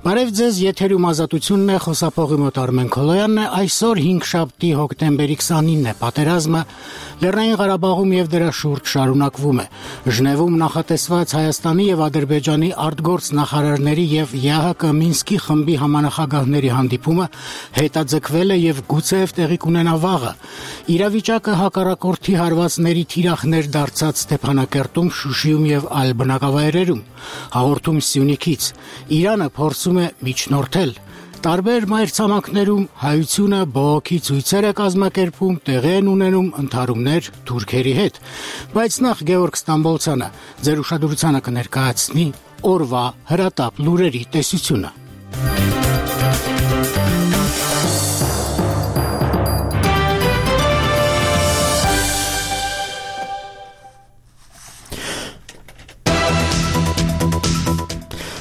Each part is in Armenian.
Բարև ձեզ, եթերում Ազատությունն է, խոսափողի մոտ Արմեն Քոլոյանն է, այսօր 5 հոկտեմբերի 29-ն է, պատերազմը Լեռնային Ղարաբաղում եւ դրա շուրջ շարունակվում է։ Ժնևում նախատեսված Հայաստանի եւ Ադրբեջանի արտգործ նախարարների եւ ԵԱՀԿ Մինսկի խմբի համանախագահների հանդիպումը հետաձգվել է եւ գուցեև տեղի կունենա վաղը։ Իրավիճակը հակառակորդի հարվածների թիրախներ դարձած Ստեփանակերտում, Շուշիում եւ այլ բնակավայրերում։ Հաղորդում Սյունիքից Իրանը փորձում է միջնորդել։ Տարբեր մայրցամաքներում հայությունը բողոքի ցույցեր է կազմակերպում, տեղի են ունենում ընդհարումներ թուրքերի հետ։ Բայց նախ Գևորգ Ստամբոլցյանը ձեր ուշադրությանը կներկայացնի օրվա հրատապ լուրերի տեսությունը։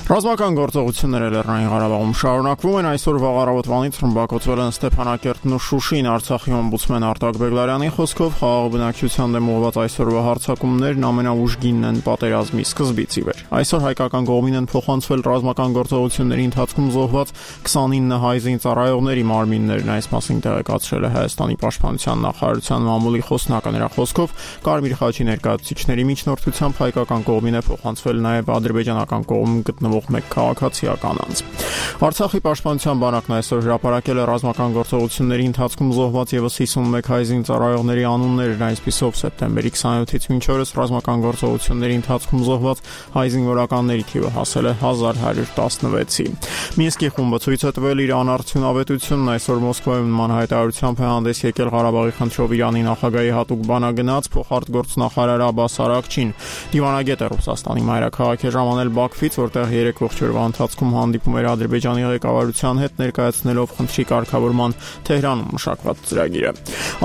Ռազմական գործողությունները Լեռնային Ղարաբաղում շարունակվում են, այսօր վաղ առավոտվանից ռմբակոծվել են Ստեփանակերտն ու Շուշին, Արցախի օմբուդսմեն Արտակ Բեգլարյանի խոսքով խաղաղ բնակչության դեմ ուղղված այսօրվա հարձակումներն ամենաուժգինն են պատերազմի սկզբից ի վեր։ Այսօր հայկական կողմին են փոխանցվել ռազմական գործողությունների ընթացքում զոհված 29 հայ զինծառայողների մարմիններն, այս մասին տեղեկացրել է Հայաստանի պաշտպանության նախարարության մամուլի խոսնակը։ Նրա խոսքով Կարմիր խաչի ներկայացուցիչների միջնորդությամբ հայկական կողմին է փոխանցվել նաև ադրբեջանական կողմում գտնվող մեկ քաղաքացիական անձ։ Արցախի պաշտպանության բանակն այսօր հրապարակել է ռազմական գործողությունների ընթացքում զոհված եւս 51 հայ զինծառայողների անուններն, այսպիսով սեպտեմբերի 27-ից մինչ օրս ռազմական գործողությունների ընթացքում զոհված հայ զինվորականների թիվը հասել է 1116-ի։ Մինսկի խումբը ցույց է տվել իր անարդյունավետությունն, այսօր Մոսկվայում նման հայտարարությամբ է հանդես եկել Ղարաբաղի խնդրով Իրանի նախագահի հատուկ բանագնաց փոխարտգործնախարար Աբբաս Արաքչին։ Դիվանագետը Ռուսաստանի մայրաքաղաք է ժամանել Բաքվից, որտեղ 3 ողջորվա ընթացքում հանդիպում էր Ադրբեջանի ղեկավարության հետ, ներկայացնելով խնդրի կարգավորման Թեհրանում մշակված ծրագիրը։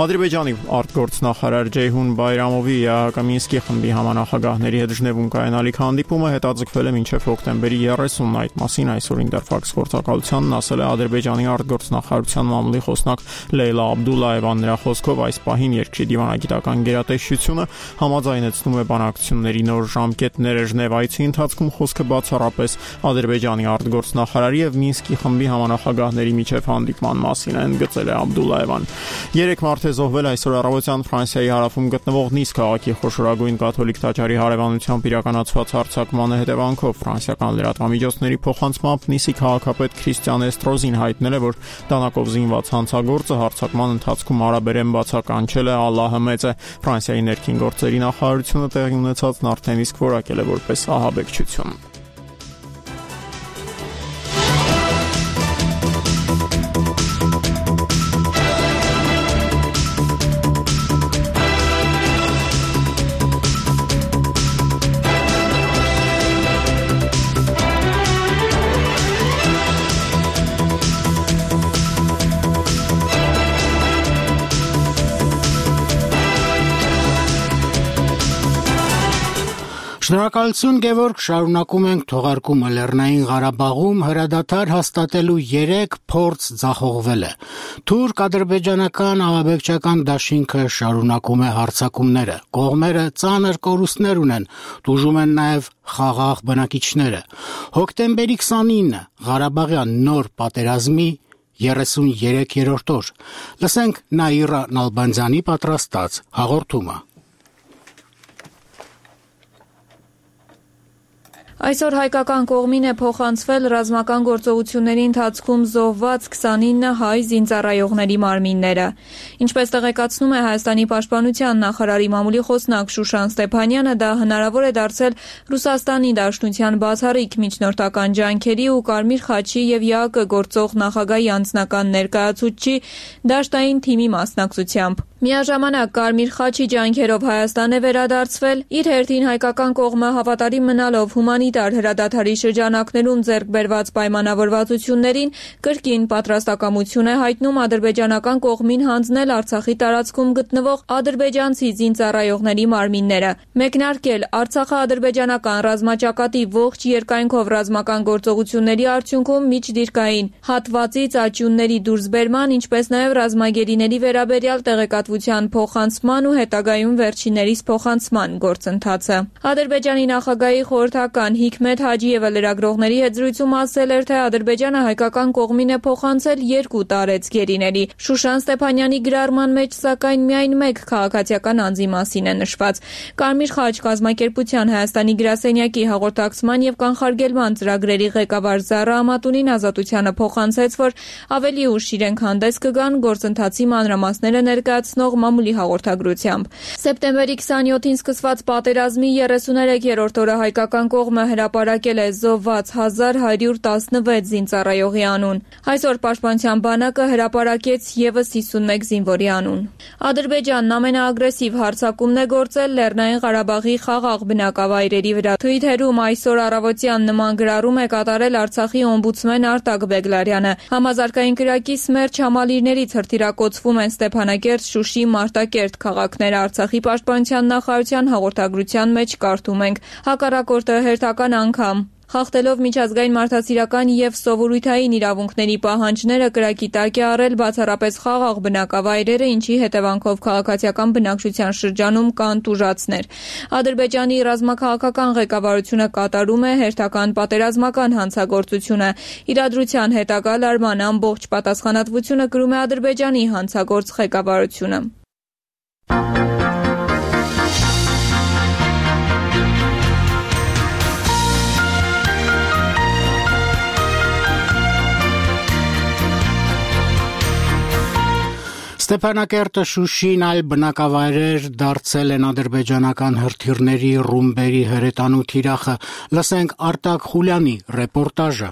Ադրբեջանի արտգործնախարար Ջեյհուն Բայրամովի ԵԱՀԿ Մինսկի խմբի համանախագահների հետ Ժնևում կայանալիք հանդիպումը հետաձգվել է մինչև հոկտեմբերի 30-ն։ Այդ մասին այսօր Ինտերֆաքս գործակալությանն ասել է Ադրբեջանի արտգործնախարարության մամուլի խոսնակ Լեյլա Աբդուլլաևան։ Նրա խոսքով այս պահին երկրի դիվանագիտական գերատեսչությունը համաձայնեցնում է բանակցությունների նոր ժամկետները։ Ժնև այցի ընթացքում խոսքը բացառապես Ադրբեջանի արտգործնախարարի եւ Մինսկի խմբի համանախագահների միջև հանդիպման մասին է, ընդգծել է Աբդուլլաևան։ 3 մարդ է զոհվել այսօր առավոտյան Ֆրանսիայի հարավում գտնվող Նիս քաղաքի խոշորագույն կաթոլիկ տաճարի հարևանությամբ իրականացված հարձակմանը հետևանքով ֆրանսիական լրատվամիջոցների փոխանցմամբ Նիսի քաղաքապետ Քրիստիան Էստրոզին հայտնել է, որ դանակով զինված հանցագործը հարձակման ընթացքում արաբերեն բացականչել է «Ալլահը մեծ է»։ Ֆրանսիայի ներքին գործերի նախարարությունը տեղի ունեցածն արդեն իսկ որակել է որպես ահաբեկչություն։ Շնորհակալություն Գևորգ, շարունակում ենք թողարկումը Լեռնային Ղարաբաղում հրադադար հաստատելու 3 փորձ ձախողվել է։ Թուրք-ադրբեջանական ահաբեկչական դաշինքը շարունակում է հարձակումները։ Կողմերը ծանր կորուստներ ունեն, տուժում են նաև խաղաղ բնակիչները։ Հոկտեմբերի 29-ը Ղարաբաղյան նոր պատերազմի 33-րդ օր։ Լսենք Նաիրա Նալբանդյանի պատրաստած հաղորդումը։ Այսօր հայկական կողմին է փոխանցվել ռազմական գործողությունների ընթացքում զոհված 29 հայ զինծառայողների մարմինները։ Ինչպես տեղեկացնում է Հայաստանի պաշտպանության նախարարի մամուլի խոսնակ Շուշան Ստեփանյանը, դա հնարավոր է դարձել Ռուսաստանի Դաշնության բացառիկ միջնորդական ջանքերի ու Կարմիր խաչի եւ ԵԱՀԿ գործող նախագահի անձնական ներկայացուցչի դաշտային թիմի մասնակցությամբ։ Միաժամանակ Կարմիր խաչի ջանքերով Հայաստան է վերադարձվել, իր հերթին հայկական կողմը հավատարիմ մնալով հումանիտար հրադադարի շրջանակներում ձեռք բերված պայմանավորվածություններին կրկին պատրաստակամություն է հայտնում ադրբեջանական կողմին հանձնել Արցախի տարածքում գտնվող ադրբեջանցի զինծառայողների մարմինները, մեկնարկել Արցախա-ադրբեջանական ռազմաճակատի ողջ երկայնքով ռազմական գործողությունների արդյունքում միջդիրքային հատվածից աճյունների դուրսբերման, ինչպես նաև ռազմագերիների վերաբերյալ տեղեկատվության փոխանցման ու հետագայում վերջիններիս փոխանցման գործընթացը։ Ադրբեջանի նախագահի խորհրդական Հիկմետ Հաջիևը լրագրողների հետ զրույցում ասել էր, թե Ադրբեջանը հայկական կողմին է փոխանցել 2 տարեց գերիների։ Շուշան Ստեփանյանի գրառման մեջ սակայն միայն 1 քաղաքացիական անձի մասին է նշված։ Կարմիր խաչ կազմակերպության Հայաստանի գրասենյակի հաղորդակցման եւ կանխարգելման ծրագրերի ղեկավար Զարա Ամատունին ազատությանը փոխանցեց, որ ավելի ուշ իրենք հանդես կգան գործընթացի մանրամասները ներկայացնող մամուլի հաղորդագրությամբ։ Սեպտեմբերի 27-ին սկսված պատերազմի 33-րդ օրը հայկական կողմը հրապարակել է զոհված 1116 զինծառայողի անուն։ Այսօր Պաշտպանության բանակը հրապարակեց եւս 51 զինվորի անուն։ Ադրբեջանն ամենաագրեսիվ հարձակումն է գործել Լեռնային Ղարաբաղի խաղաղ բնակավայրերի վրա։ Թվիթերում այսօր առավոտյան նման գրառում է կատարել Արցախի օմբուդսմեն Արտակ Բեգլարյանը։ Համազարգային կրակի սմերջ համալիրներից հրթիռակոծվում են Ստեփանակերտ, Շուշի, Մարտակերտ քաղաքները։ Արցախի պաշտպանության նախարարության հաղորդագրության մեջ կարդում ենք. հակառակորդը հերթական անգամ խախտելով միջազգային մարդասիրական եւ սովորույթային իրավունքների պահանջները կրակի տակ է առել բացառապես խաղաղ բնակավայրերը, ինչի հետևանքով քաղաքացիական բնակչության շրջանում կան տուժածներ։ Ադրբեջանի ռազմաքաղաքական ղեկավարությունը կատարում է հերթական պատերազմական հանցագործությունը։ Իրադրության հետագա լարման ամբողջ պատասխանատվությունը կրում է Ադրբեջանի հանցագործ ղեկավարությունը։ Ստեփանակերտը, Շուշին այլ բնակավայրեր դարձել են ադրբեջանական հրթիռների ռումբերի հրետանու թիրախը։ Լսենք Արտակ Խուլյանի ռեպորտաժը։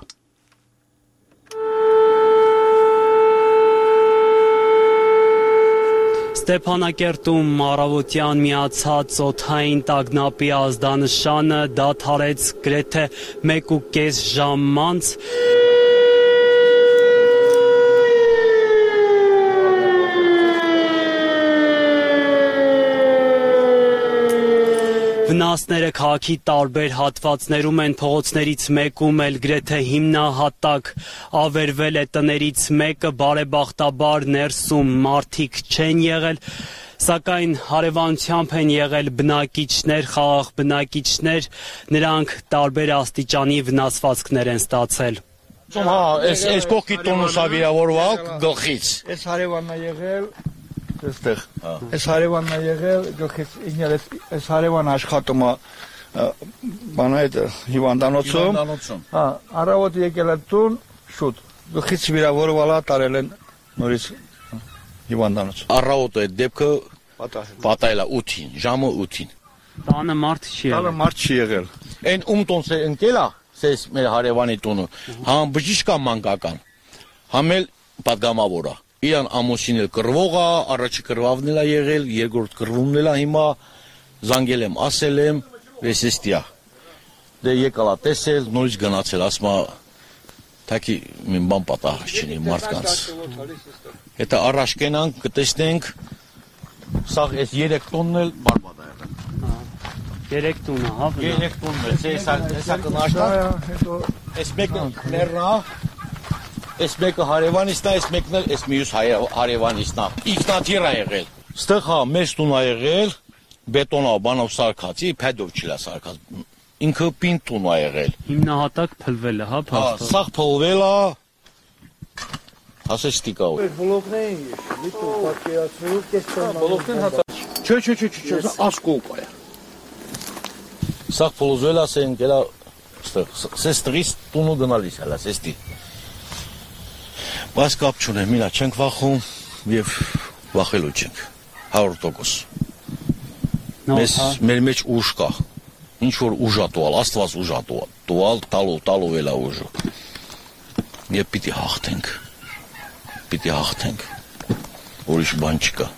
Ստեփանակերտում առավոտյան միացած օդային տագնապի ազդանշանը դադարեց գրեթե 1.5 ժամ անց։ Վնասները քաղաքի տարբեր հատվածներում են, փողոցներից մեկում էլ գրեթե հիմնահատակ ավերվել է տներից մեկը, բարեբախտաբար ներսում մարդիկ չեն եղել, սակայն հարևանությամբ են եղել բնակիչներ, խաղաղ բնակիչներ, նրանք տարբեր աստիճանի վնասվածքներ են ստացել։ Հա, այս կողքի տոնուսա վիրավորվալ գլխից։ Այս հարևանն է եղել այստեղ։ Այս հարևանն է եղել գլխից ինքն այս հարևանը աշխատում է բանը այդ հիվանդանոցում։ Հա, առավոտ եկել է տուն շուտ։ Գլխից վիրավորվել է, տարել են նորից հիվանդանոց։ Առավոտ այդ դեպքը պատահել է 8-ին, ժամը 8-ին։ Տանը մարդ չի եղել։ Տանը մարդ չի եղել։ Այն ում տոնս է ընկել է, սես մեր հարևանի տունը, համ բժիշկ է մանկական, համ էլ պատգամավոր է։ Իրան ամուսին էլ կռվող է, առաջի կռվավն էլ է եղել, երկրորդ կռվումն էլ է հիմա, զանգել եմ, ասել եմ, վեսեստիա։ Դե եկալ է տեսել, նորից գնացել, ասма թակի մին բան պատահ չունի մարդկանց։ Հետո առաջ կենանք, կտեսնենք, սաղ այս 3 տոնն էլ բարբադ է եղել։ 3 տունը, հա։ 3 տոնն էլ, հեսա կնաշտա, այս մեկը ներնա, այս մեկը հարևանիստն է, այս մեկն էլ այս մյուս հարևանիստն է։ Ինքնաթիռ է եղել։ Ստեղ հա մեծ տուն է եղել, բետոնով բանով սարքացի, փեդով չի սարքած։ Ինքը պինդ տուն է եղել։ Հիմնահատակ փլվել է, հա, փաստորեն։ Սաղ փլվել է։ Հասեստիկա։ Բլոկներին լիթու պատկերացնելու կեստան։ Բլոկն հա։ Չէ, ասկոկ է։ Սաղ փլվել է, ասեն գելա ստեղ։ Սեստրիս տունը գնալիս է, սեստի։ Բայց կապ չունեմ, միլա չենք վախում և վախելու չենք, 100%։ Մեր մեջ ուժ կա, ինչ որ ուժ է տուալ, աստված ուժ է տուալ, տալով էլ է ուժը։ Եվ պիտի հաղթենք, ուրիշ բան չկա։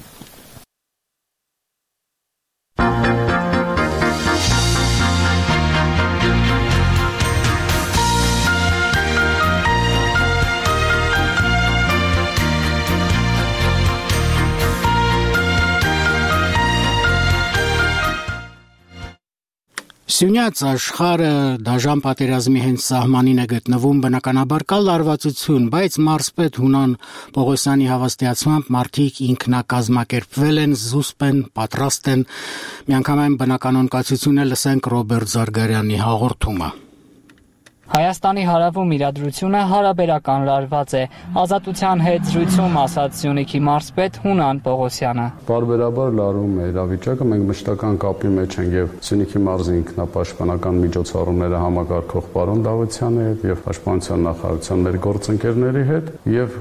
Սյունյաց աշխարհը դաժան պատերազմի հենց սահմանին է գտնվում, բնականաբար կա լարվածություն, բայց մարզպետ Հունան Պողոսյանի հավաստիացմամբ մարդիկ ինքնակազմակերպվել են, զուսպ են, պատրաստ են։ Միանգամայն բնականոն կացությունը լսենք Ռոբերտ Զարգարյանի հաղորդումը։ Հայաստանի հարավում իրադրությունը հարաբերական լարված է, ազատության հետ զրույցում ասաց Սյունիքի մարզպետ Հունան Պողոսյանը։ Բարբերաբար լարում է իրավիճակը, մենք մշտական կապի մեջ ենք եւ Սյունիքի մարզի ինքնապաշտպանական միջոցառումները համակարգող պարոն Դավթյանի հետ եւ Պաշտպանության նախարարության մեր գործընկերների հետ եւ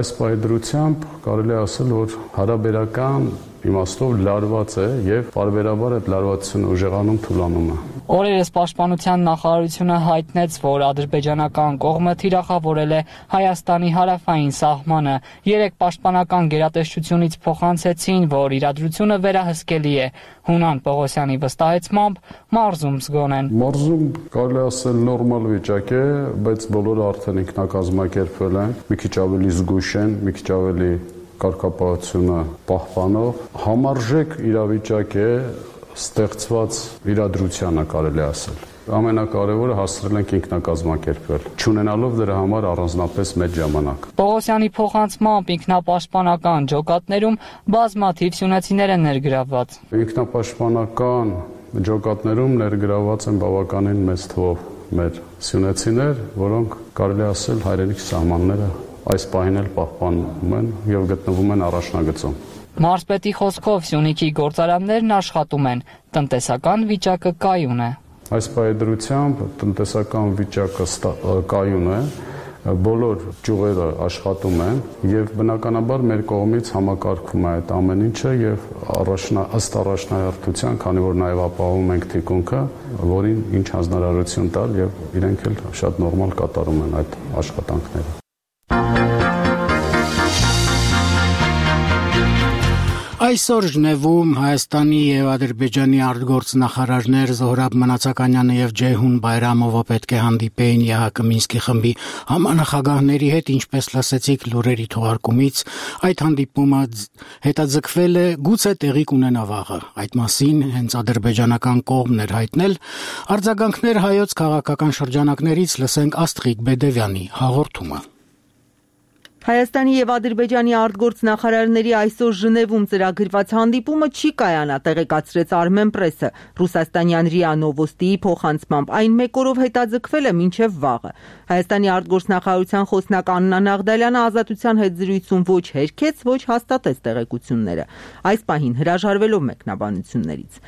այս պայդրությամբ կարելի է ասել, որ հարաբերական իմաստով լարված է եւ բարբերաբար այդ լարվածությունը ուժեղանում թուլանում է։ Օրերս Պաշտպանության նախարարությունը հայտնեց, որ ադրբեջանական կողմը թիրախավորել է Հայաստանի հարավային սահմանը։ 3 պաշտպանական գերատեսչությունից փոխանցեցին, որ իրադրությունը վերահսկելի է։ Հունան Պողոսյանի վստահեցմամբ մարզում զգոն են։ Մարզում կարելի ասել նորմալ վիճակ է, բայց բոլորը արդեն ինքնակազմակերպվել են, մի քիչ ավելի զգույշ են, մի քիչ ավելի կարգապահությունը պահպանող համարժեք իրավիճակ է ստեղծված իրադրությանը կարելի ասել։ Ամենակարևորը հասցրել ենք ինքնակազմակերպվել, չունենալով դրա համար առանձնապես մեծ ժամանակ։ Պողոսյանի փոխանցմամբ ինքնապաշտպանական ջոկատներում բազմաթիվ սյունեցիներ են ներգրավված։ Ինքնապաշտպանական ջոկատներում ներգրավված են բավականին մեծ թվով մեր սյունեցիներ, որոնք կարելի ասել հայրենիքի սահմանները այս պահին էլ պահպանում են եւ գտնվում են առաջնագծում։ Մարզպետի խոսքով Սյունիքի գործարաններն աշխատում են, տնտեսական վիճակը կայուն է։ Այս պայդրությամբ տնտեսական վիճակը կայուն է, բոլոր ճյուղերը աշխատում են եւ բնականաբար մեր կողմից համակարգվում է այդ ամեն ինչը եւ ըստ առաջնահերթության, քանի որ նաեւ ապահովում ենք թիկունքը, որին ինչ հանձնարարություն տալ եւ իրենք էլ շատ նորմալ կատարում են այդ աշխատանքները։ Այսօր Ժնևում Հայաստանի եւ Ադրբեջանի արտգործնախարարներ Զոհրաբ Մնացականյանը եւ Ջեյհուն Բայրամովը պետք է հանդիպեին ԵՀԿ Մինսկի խմբի համանախագահների հետ, ինչպես լսեցիք լուրերի թողարկումից, այդ հանդիպումը հետաձգվել է գուցե տեղի կունենա վաղը։ Այդ մասին հենց ադրբեջանական կողմն էր հայտնել։ Արձագանքներ հայոց քաղաքական շրջանակներից լսենք Աստղիկ Բեդևյանի հաղորդումը։ Հայաստանի եւ Ադրբեջանի արտգործնախարարների այսօր Ժնևում ծրագրված հանդիպումը չի կայանա, տեղեկացրեց Armen Press-ը։ Ռուսաստանյան ՌԻԱ Նովոստիի փոխանցմամբ այն մեկ օրով հետաձգվել է մինչև վաղը։ Հայաստանի արտգործնախարարության խոսնակ Աննա Նաղդալյանը ազատության հետ զրույցում ոչ հերքեց, ոչ հաստատեց տեղեկությունները։ Այս պահին հրաժարվելով մեկնաբանություններից։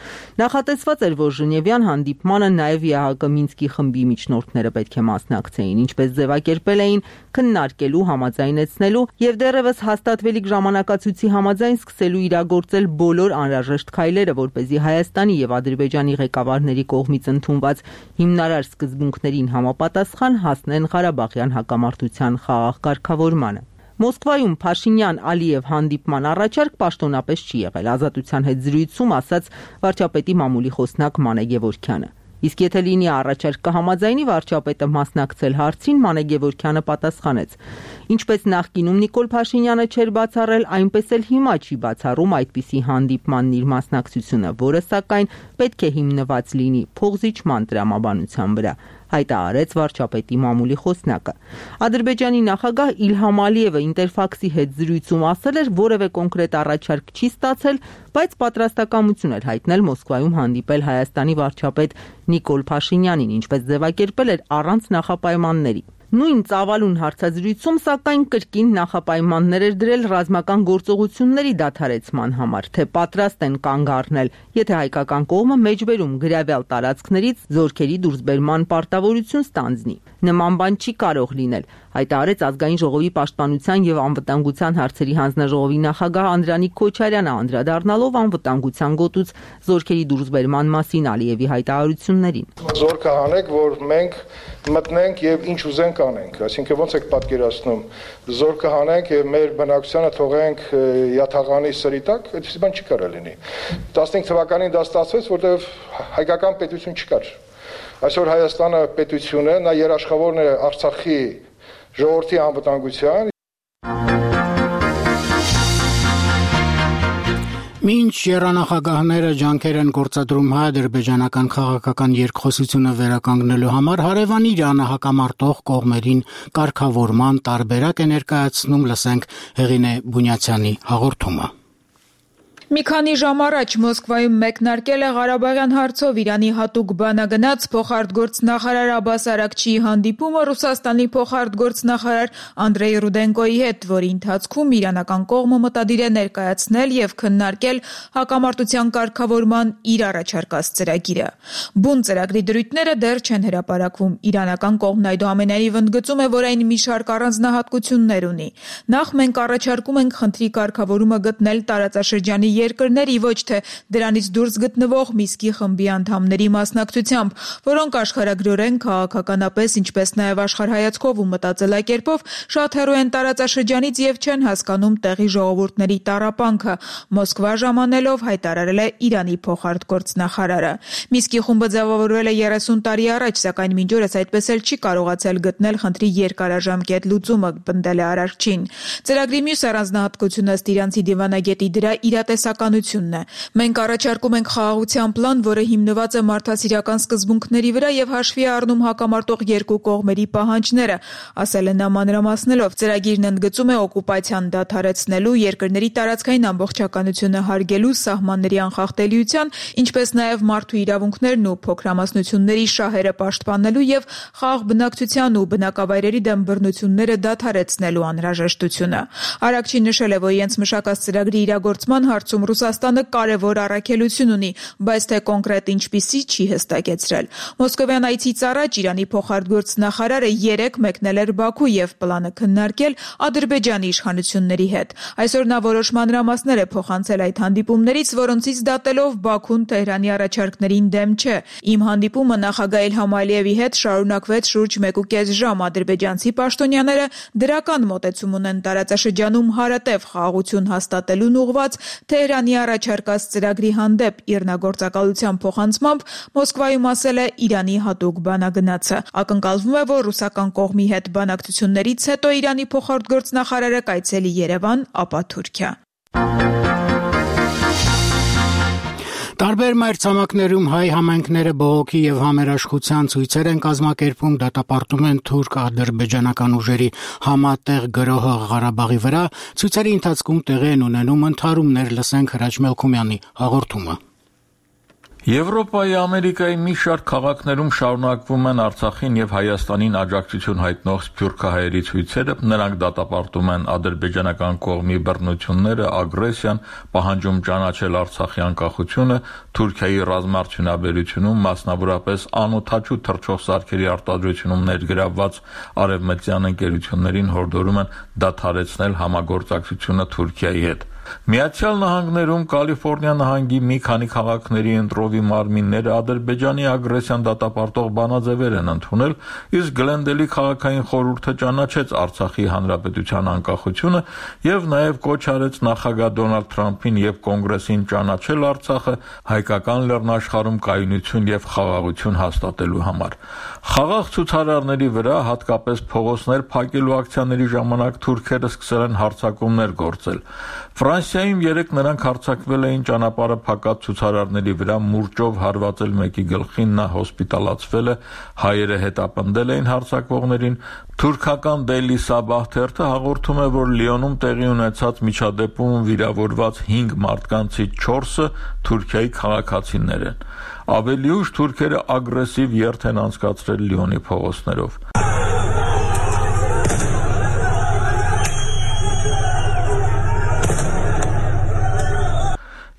Նախատեսված էր, որ Ժնևյան հանդիպմանը նաև ԵՀԿ Մինսկի խմբի միջնորդները պետք է մասնակցեին, ինչպես ձևակերպել էին քննարկելու համաձայնեցնելու եւ դեռևս հաստատվելիք ժամանակացույցի համաձայն սկսելու իրագործել բոլոր անհրաժեշտ քայլերը, որպեսզի Հայաստանի եւ Ադրբեջանի ղեկավարների կողմից ընդունված հիմնարար սկզբունքներին համապատասխան հասնեն Ղարաբաղյան հակամարտության խաղաղ կարգավորմանը։ Մոսկվայում Փաշինյան-Ալիև հանդիպման առաջարկ պաշտոնապես չի եղել, ազատության հետ զրույցում ասաց վարչապետի մամուլի խոսնակ Մանե Գևորգյանը։ Իսկ եթե լինի առաջարկ կհամաձայնի վարչապետը մասնակցել հարցին, Մանե Գևորգյանը պատասխանեց. Ինչպես նախկինում Նիկոլ Փաշինյանը չէր բացառել, այնպես էլ հիմա չի բացառում այդպիսի հանդիպմանն իր մասնակցությունը, որը սակայն պետք է հիմնված լինի փոխզիջման տրամաբանության վրա, հայտարարեց վարչապետի մամուլի խոսնակը։ Ադրբեջանի նախագահ Իլհամ Ալիևը Ինտերֆաքսի հետ զրույցում ասել էր, որևէ կոնկրետ առաջարկ չի ստացել, բայց պատրաստակամություն էր հայտնել Մոսկվայում հանդիպել Հայաստանի վարչապետ Նիկոլ Փաշինյանին, ինչպես ձևակերպել էր առանց նախապայմանների։ Նույն ծավալուն հարցազրույցում սակայն կրկին նախապայմաններ էր դրել ռազմական գործողությունների դադարեցման համար, թե պատրաստ են կանգ առնել, եթե հայկական կողմը մեջբերում գրավյալ տարածքներից զորքերի դուրսբերման պարտավորություն ստանձնի։ Նման բան չի կարող լինել, հայտարարեց Ազգային ժողովի պաշտպանության եւ անվտանգության հարցերի հանձնաժողովի նախագահ Անդրանիկ Քոչարյանը, անդրադառնալով անվտանգության գոտուց զորքերի դուրսբերման մասին Ալիևի հայտարարություններին։ Զորքը հանեք, որ մենք մտնենք եւ ինչ ուզենք անենք, այսինքն ոնց եք պատկերացնում, զորքը հանենք եւ մեր բնակչությանը թողենք յաթաղանի սրիտակ, այդպես բան չի կարող լինի։ 15 թվականին դա ստացվեց, որտեղ հայկական պետություն չկար։ Այսօր Հայաստանը պետություն է, նա երաշխավորն է Արցախի ժողովրդի անվտանգության։ Մինչ երանախագահները ջանքեր են գործադրում հայ-ադրբեջանական քաղաքական երկխոսությունը վերականգնելու համար, հարևան Իրանը հակամարտող կողմերին կարգավորման տարբերակ է ներկայացնում, լսենք Հեղինե Բունյացյանի հաղորդումը։ Մի քանի ժամ առաջ Մոսկվայում մեկնարկել է Ղարաբաղյան հարցով Իրանի հատուկ բանագնաց փոխարտգործնախարար Աբբաս Արաքչիի հանդիպումը Ռուսաստանի փոխարտգործնախարար Անդրեյ Ռուդենկոյի հետ, որի ընթացքում իրանական կողմը մտադիր է ներկայացնել եւ քննարկել հակամարտության կարգավորման իր առաջարկած ծրագիրը։ Բուն ծրագրի դրույթները դեռ չեն հրապարակվում։ Իրանական կողմն այդուամենայնիվ ընդգծում է, որ այն մի շարք առանձնահատկություններ ունի։ Նախ մենք առաջարկում ենք խնդրի կարգավորումը գտնել տարածաշրջանի երկրների, ոչ թե դրանից դուրս գտնվող Միսկի խմբի անդամների մասնակցությամբ, որոնք աշխարհագրորեն, քաղաքականապես, ինչպես նաև աշխարհայացքով ու մտածելակերպով շատ հեռու են տարածաշրջանից եւ չեն հասկանում տեղի ժողովուրդների տառապանքը, Մոսկվա ժամանելով հայտարարել է Իրանի փոխարտգործնախարարը։ Միսկի խումբը ձևավորվել է 30 տարի առաջ, սակայն մինչ օրս այդպես էլ չի կարողացել գտնել խնդրի երկարաժամկետ լուծումը, պնդել է Արաքչին։ Ծրագրի մյուս առանձնահատկությունը ըստ իրանցի դիվանագետի դրա իրատեսականությունն է։ Մենք առաջարկում ենք խաղաղության պլան, որը հիմնված է մարդասիրական սկզբունքների վրա եւ հաշվի է առնում հակամարտող երկու կողմերի պահանջները, ասել է նա մանրամասնելով։ Ծրագիրն ընդգծում է օկուպացիան դադարեցնելու, երկրների տարածքային ամբողջականությունը հարգելու, սահմանների անխախտելիության, ինչպես նաեւ մարդու իրավունքներն ու փոքրամասնությունների շահերը պաշտպանելու եւ խաղաղ բնակչության ու բնակավայրերի դեմ բռնությունները դադարեցնելու անհրաժեշտությունը։ Արաքչին նշել է, որ իրենց մշակած ծրագրի իրագործման հարցում Ռուսաստանը կարևոր առաքելություն ունի, բայց թե կոնկրետ ինչպիսի չի հստակեցրել։ Մոսկովյան այցից առաջ Իրանի փոխարտգործնախարարը 3 մեկնել էր Բաքու եւ պլանը քննարկել Ադրբեջանի իշխանությունների հետ։ Այսօր նա որոշ մանրամասներ է փոխանցել այդ հանդիպումներից, որոնցից դատելով Բաքուն Թեհրանի առաջարկներին դեմ չէ։ Իմ հանդիպումը նախագահ Իլհամ Ալիևի հետ շարունակվեց շուրջ 1.5 ժամ։ Ադրբեջանցի պաշտոնյաները դրական մոտեցում ունեն տարածաշրջանում հարատև խաղաղություն հաստատելուն ուղղված Թեհրանի առաջարկած ծրագրի հանդեպ, իրնագործակալության փոխանցմամբ Մոսկվայում ասել է Իրանի հատուկ բանագնացը։ Ակնկալվում է, որ ռուսական կողմի հետ բանակցություններից հետո Իրանի փոխարտգործնախարարը կայցելի Երևան, ապա Թուրքիա։ Տարբեր մայրցամաքներում հայ համայնքները բողոքի եւ համերաշխության ցույցեր են կազմակերպում, դատապարտում են թուրք-ադրբեջանական ուժերի համատեղ գրոհը Ղարաբաղի վրա, ցույցերի ընթացքում տեղի են ունենում ընդհարումներ, լսենք Հրաչ Մելքումյանի հաղորդումը։ Եվրոպայի, Ամերիկայի մի շարք քաղաքներում շարունակվում են Արցախին եւ Հայաստանին աջակցություն հայտնող սփյուռքահայերի ցույցերը, նրանք դատապարտում են ադրբեջանական կողմի բռնությունները, ագրեսիան, պահանջում ճանաչել Արցախի անկախությունը, Թուրքիայի ռազմաարդյունաբերությունում, մասնավորապես անօդաչու թռչող սարքերի արտադրությունում ներգրավված արևմտյան ընկերություններին հորդորում են դադարեցնել համագործակցությունը Թուրքիայի հետ։ Միացյալ Նահանգներում Կալիֆոռնիա նահանգի մի քանի քաղաքների ընտրովի մարմինները Ադրբեջանի ագրեսիան դատապարտող բանաձևեր են ընդունել, իսկ Գլենդելի քաղաքային խորհուրդը ճանաչեց Արցախի հանրապետության անկախությունը եւ նաեւ կոչ արեց նախագահ Դոնալդ Թրամփին եւ Կոնգրեսին ճանաչել Արցախը հայկական լեռնաշխարհում կայունություն եւ խաղաղություն հաստատելու համար։ Խաղաղ ցուցարարների վրա, հատկապես փողոցներ փակելու ակցիաների ժամանակ թուրքերը սկսել են հարձակումներ գործել։ Ֆրանսիայում 3 նրանք հարձակվել էին ճանապարհը փակած ցուցարարների վրա, մուրճով հարվածել մեկի գլխին, նա հոսպիտալացվել է, հայերը հետապնդել էին հարձակվողներին։ Թուրքական Daily Sabah թերթը հաղորդում է, որ Լիոնում տեղի ունեցած միջադեպում վիրավորված 5 մարդկանցից 4-ը Թուրքիայի քաղաքացիներ են։ Ավելի ուշ թուրքերը ագրեսիվ երթ են անցկացրել Լիոնի փողոցներով։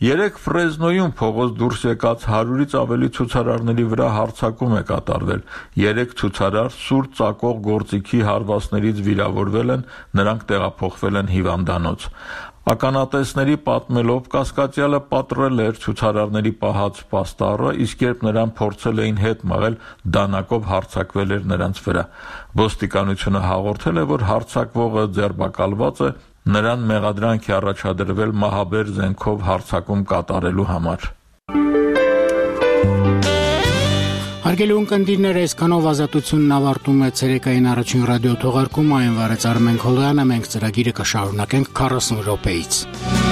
Երեք Ֆրեզնոյում փողոց դուրս եկած 100-ից ավելի ցուցարարների վրա հարձակում է կատարվել։ 3 ցուցարար սուր ծակող գործիքի հարվածներից վիրավորվել են, նրանք տեղափոխվել են հիվանդանոց։ Ականատեսների պատմելով կասկածյալը պատռել էր ցուցարարների պահած պաստառը, իսկ երբ նրան փորձել էին հետ մղել, դանակով հարձակվել էր նրանց վրա։ Ոստիկանությունը հաղորդել է, որ հարձակվողը ձերբակալված է, նրան մեղադրանք է առաջադրվել մահաբեր զենքով հարձակում կատարելու համար։ Հարգելի ունկնդիրներ, այսքանով ազատությունն ավարտում է ցերեկային առաջին ռադիո թողարկումը, այն վարեց Արմեն Քոլոյանը, մենք ծրագիրը կշարունակենք 40 րոպեից։